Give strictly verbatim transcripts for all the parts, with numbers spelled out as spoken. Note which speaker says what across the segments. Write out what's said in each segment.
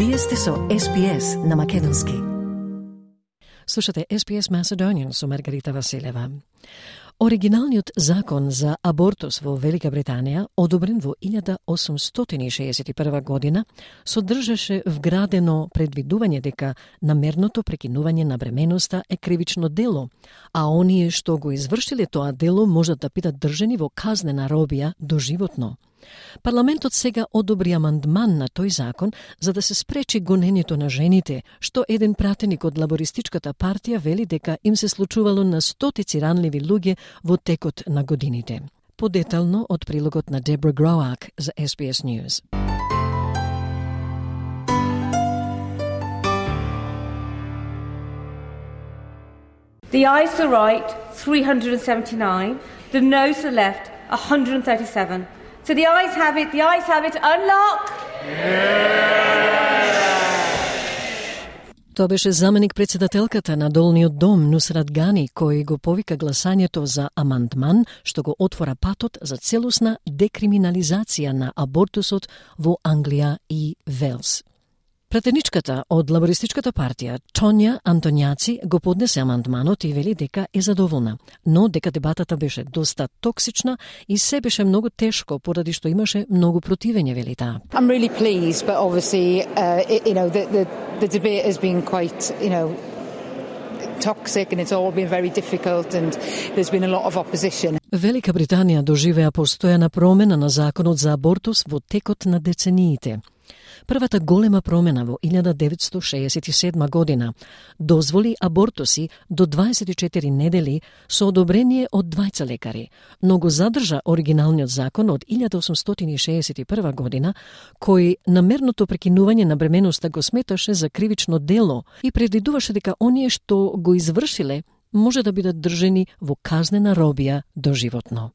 Speaker 1: Вие сте со Ес Би Ес на македонски.
Speaker 2: Слушате Ес Би Ес Macedonian со Маргарита Василева. Оригиналниот закон за абортус во Велика Британија, одобрен во илјада осумстотини шеесет и прва година, содржаше вградено предвидување дека намерното прекинување на бременоста е кривично дело, а оние што го извршиле тоа дело можат да бидат држани во казнена робија доживотно. Парламентот сега одобри амандман на тој закон за да се спречи гонењето на жените, што еден пратеник од лабористичката партија вели дека им се случувало на стотици ранливи луѓе во текот на годините. Подетално од прилогот на Дебра Гроак за Ес Би Ес News.
Speaker 3: The ayes to the right, three hundred seventy-nine. The noes to the left, one hundred thirty-seven. So the ayes have it, the ayes have it, unlock!
Speaker 2: Тоа беше заменик председателката на Долниот дом Нусрат Гани, кој го повика гласањето за амандман што го отвора патот за целосна декриминализација на абортусот во Англија и Велс. Пратеничката од лабористичката партија Тоња Антоњаци го поднесе амандманот и вели дека е задоволна, но дека дебатата беше доста токсична и се беше многу тешко поради што имаше многу противење, вели таа.
Speaker 4: I'm really pleased, but obviously, uh, it, you know, the, the the debate has been quite, you know, toxic and it's all been very difficult and there's been a lot of opposition.
Speaker 2: Велика Британија доживеа постојана промена на законот за абортус во текот на децениите. Првата голема промена во илјада деветстотини шеесет и седма година дозволи абортуси до дваесет и четири недели со одобрение од двајца лекари, но го задржа оригиналниот закон од илјада осумстотини шеесет и прва година, кој намерното прекинување на бременоста го сметаше за кривично дело и предвидуваше дека оние што го извршиле може да бидат држени во казнена робија доживотно.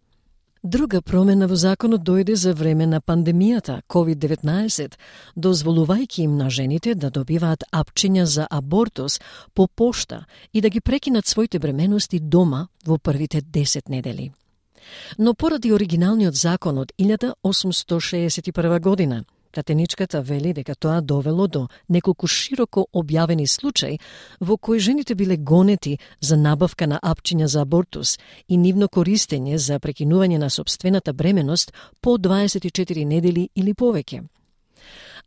Speaker 2: Друга промена во законот дојде за време на пандемијата ковид деветнаесет, дозволувајќи им на жените да добиваат апчиња за абортус по пошта и да ги прекинат своите бременности дома во првите десет недели. Но поради оригиналниот закон од илјада осумстотини шеесет и прва година, пратеничката вели дека тоа довело до неколку широко објавени случаи во кои жените биле гонети за набавка на апчиња за абортус и нивно користење за прекинување на сопствената бременост по дваесет и четири недели или повеќе.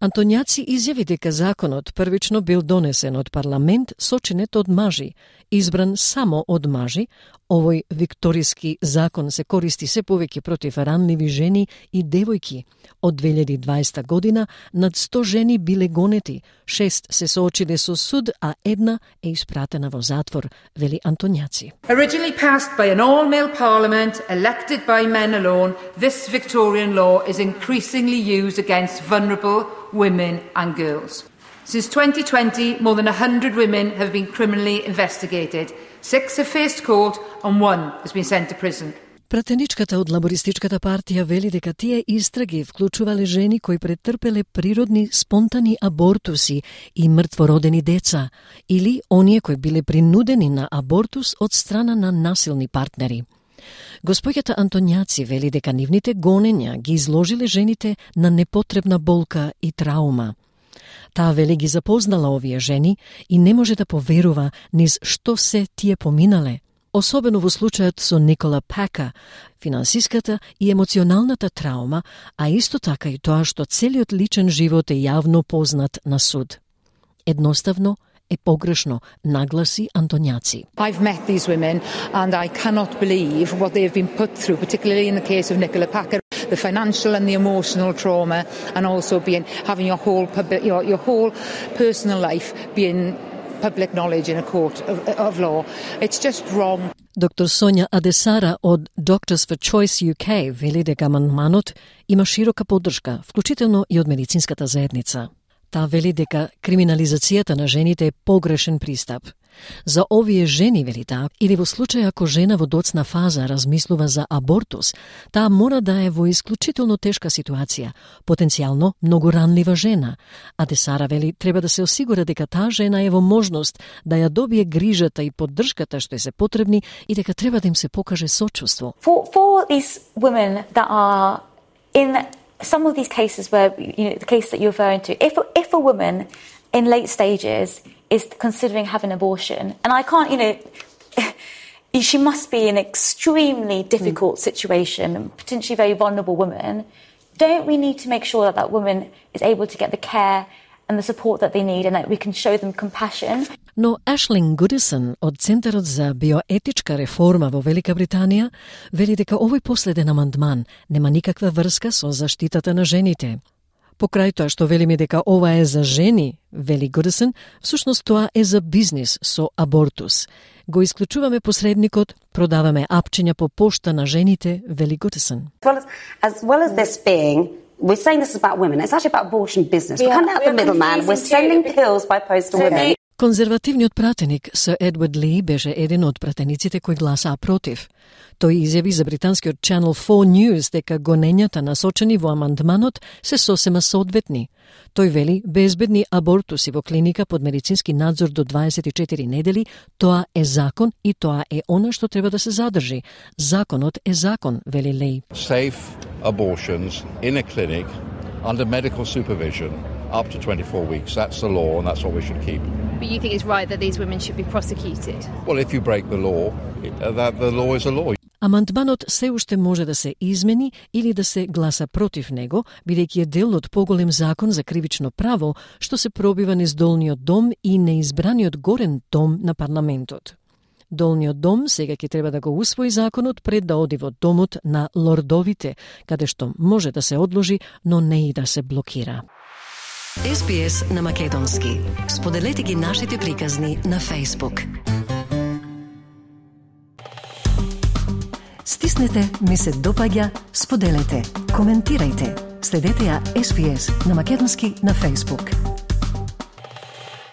Speaker 2: Антоњаци изјави дека законот првично бил донесен од парламент сочинет од мажи, избран само од мажи. Овој викториски закон се користи се повеќе против ранливи жени и девојки. Од две илјади и дваесета година над сто жени биле гонети, шест се соочиле со суд, а една е испратена во затвор, вели Антоњаци.
Speaker 5: Originally passed by an all-male parliament, elected by men alone, this Victorian law is increasingly used against vulnerable women and girls. Since twenty twenty, more than one hundred women have been criminally investigated. Six have faced court and one has been sent to prison.
Speaker 2: Пратеничката од лабористичката партија вели дека тие истраги вклучувале жени кои претрпеле природни спонтани абортуси и мртвородени деца, или оние кои биле принудени на абортус од страна на насилни партнери. Госпоѓата Антоњаци вели дека нивните гонења ги изложиле жените на непотребна болка и траума. Таа вели ги запознала овие жени и не може да поверува низ што се тие поминале, особено во случајот со Никола Пака, финансиската и емоционалната траума, а исто така и тоа што целиот личен живот е јавно познат на суд. Едноставно е погрешно, нагласи Антоњаци.
Speaker 4: I've met these women and I cannot believe what they have been put through, particularly in the case of Nicola Packer, the financial and the emotional trauma, and also being having your whole public, your, your whole personal life being public knowledge in a court of, of law. It's just wrong.
Speaker 2: Доктор Соња Адесара од Doctors for Choice ю кей вели дека амандманот има широка поддршка, вклучително и од медицинската заедница. Таа вели дека криминализацијата на жените е погрешен пристап. За овие жени, вели таа, или во случај ако жена во доцна фаза размислува за абортус, таа мора да е во исклучително тешка ситуација, потенцијално многу ранлива жена. А Десара вели треба да се осигура дека таа жена е во можност да ја добие грижата и поддршката што е се потребни и дека треба да им се покаже сочувство.
Speaker 6: For, for these women that are in some of these cases where, you know, the case that you're referring to, if, if a woman in late stages is considering having an abortion, and I can't, you know, she must be in an extremely difficult mm. situation, potentially very vulnerable woman, don't we need to make sure that that woman is able to get the care and the support that they need and that we can show them compassion?
Speaker 2: Но Ашлин Гудисон од Центарот за биоетичка реформа во Велика Британија вели дека овој последен амандман нема никаква врска со заштитата на жените. Покрај тоа што велиме дека ова е за жени, вели Гудисон, всушност тоа е за бизнис со абортус. Го исклучуваме посредникот, продаваме апчиња по пошта на жените, вели Гудисон.
Speaker 7: As well as, as well as this being, we're saying this is about women, it's actually about abortion business. We're cutting out the middleman, we're sending pills by post to women.
Speaker 2: Конзервативниот пратеник Сър Едвард Ли беше еден од пратениците кои гласаа против. Тој изјави за британскиот Channel four News дека гонењата насочени во амандманот се сосема соодветни. Тој вели безбедни абортуси во клиника под медицински надзор до дваесет и четири недели, тоа е закон и тоа е она што треба да се задржи. Законот е закон, вели Ли.
Speaker 8: Safe abortions in a clinic under medical supervision up to twenty-four weeks. That's the law and that's what we should keep.
Speaker 9: But you think it's right that these women should be prosecuted?
Speaker 8: Well, if you break the law, that the law is a law.
Speaker 2: Амандманот се уште може да се измени или да се гласа против него, бидејќи е дел од поголем закон за кривично право, што се пробива низ долниот дом и неизбраниот горен дом на парламентот. Долниот дом сега ќе треба да го усвои законот пред да оди во домот на лордовите, каде што може да се одложи, но не и да се блокира.
Speaker 1: Ес Би Ес на македонски. Споделете ги нашите приказни на Facebook. Стиснете, ми се допаѓа, споделете, коментирајте. Следете ја Ес Би Ес на македонски на Facebook.